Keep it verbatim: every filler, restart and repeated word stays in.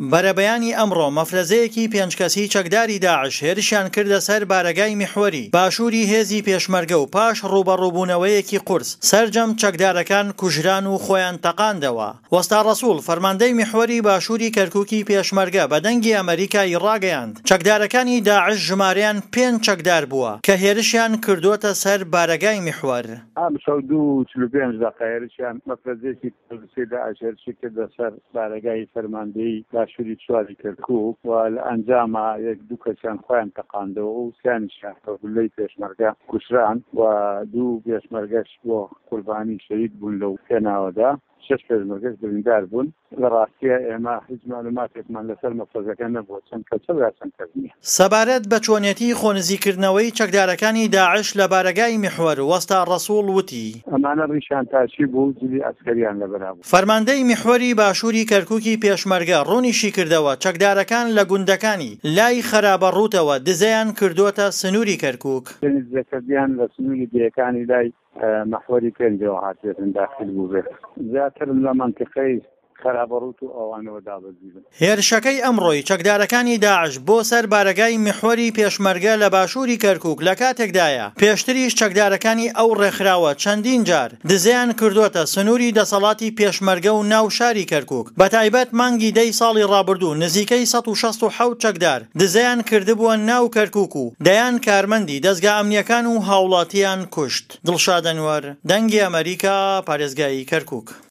بەرەبەیانی ئەمڕۆ مەفرەزەیەکی پێنج کەسی چەکداری داعش هێرشیان کردە سەر بارەگای میحوەری باشووری هێزی پێشمەرگە و پاش ڕووبەڕووبوونەوەیەکی قورس سەرجەم چەکدارەکان کوژران و خۆیان تەقاندەوە. وەستا ڕەسوڵ فەرماندەی میحوەری باشووری کەرکووکی پێشمەرگە بە دەنگی ئەمەریکای ڕاگەیاند چەکدارەکانی داعش ژمارەیان پێنج چەکدار بووە کە هێرشیان کردۆتە سەر بارەگای میحوەر. ئەمشەو دوو و چل و پێنج دەقە هێرشیان مەفرەزەیەکی تیرۆریستی داعش هێرشی کردە سەر بارەگای فەرماندەیی باشووری چواری کەرکووک و لە ئەنجاما یەک دوو کەسیان خۆیان تەقاندەوە و سیانیشیان بە گوللەی پێشمەرگە کوژران و دوو پێشمەرگەش بۆ قوربانی شەهید بوون لەو پێناوەدا شەش پێشمەرگەش بریندار بوون. لە ڕاستیا ئێمە هیچ مەعلوماتێکمان لەسەر مەفرەزەکە نەبووە چەند کەسە و یا چەند کەس نییە. سەبارەت بە چۆنێتی خۆنزیکردنەوەی چەکدارەکانی داعش لە بارەگای میحوەر، وەستا ڕەسوڵ وتی. ئەمانە ڕیشیان تاشی بوو و جلی عەسکەریان لەبەرا بوو. فەرماندەی میحوەری باشووری کەرکوکی پێشمەرگە ڕوونیشیکردەوە، چەکدارەکان لە گوندەکانی لای خەرابەڕووتەوە دزەیان کردۆتە سنووری کەرکوک. شوێنی دزەکردیان لە سنووری دێیەکانی لای مەحوەری پێنجەوە هاتبێتن داخیل بووبێت. زیاتر لە مەنتیقەی خەرابەڕووت و ئەوانەوە دابەزیبن. هێرشەکەی ئەمڕۆی چەکدارەکانی داعش بۆ سەر بارەگای میحوەری پێشمەرگە لە باشووری کەرکوک لە کاتێکدایە، پێشتریش چەکدارەکانی ئەو ڕێکخراوە چەندین جار دزەیان کردۆتە سنووری دەسەڵاتی پێشمەرگە و ناو شاری کەرکوک، بەتایبەت مانگی دەی ساڵی ڕابردوو نزیکەی سەد و شەست و حەوت چەکدار دزەیان کردبووە ناو کەرکوک و دەیان کارمەندی دەزگا ئەمنییەکان و هاوڵاتییان کوشت. دڵشاد ئەنوەر، دەنگی ئەمەریکا، پارێزگای کەرکوک.